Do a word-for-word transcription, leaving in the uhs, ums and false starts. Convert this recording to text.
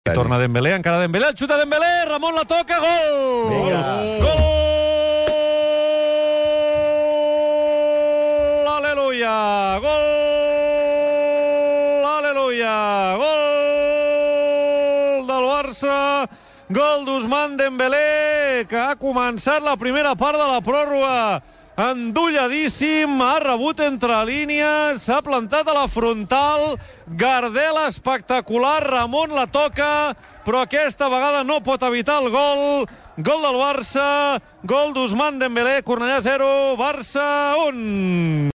I torna Dembélé, encara Dembélé, el xuta Dembélé, Ramon la toca, gol! Vinga. Gol! Aleluia! Gol! Aleluia! Gol del Barça, gol d'Ousmane Dembélé, que ha començat la primera part de la pròrroga endolladíssim, ha rebut entre línies, s'ha plantat a la frontal, Gardel espectacular, Ramon la toca, però aquesta vegada no pot evitar el gol. Gol del Barça, gol d'Ousmane Dembélé, Cornellà zero, Barça un.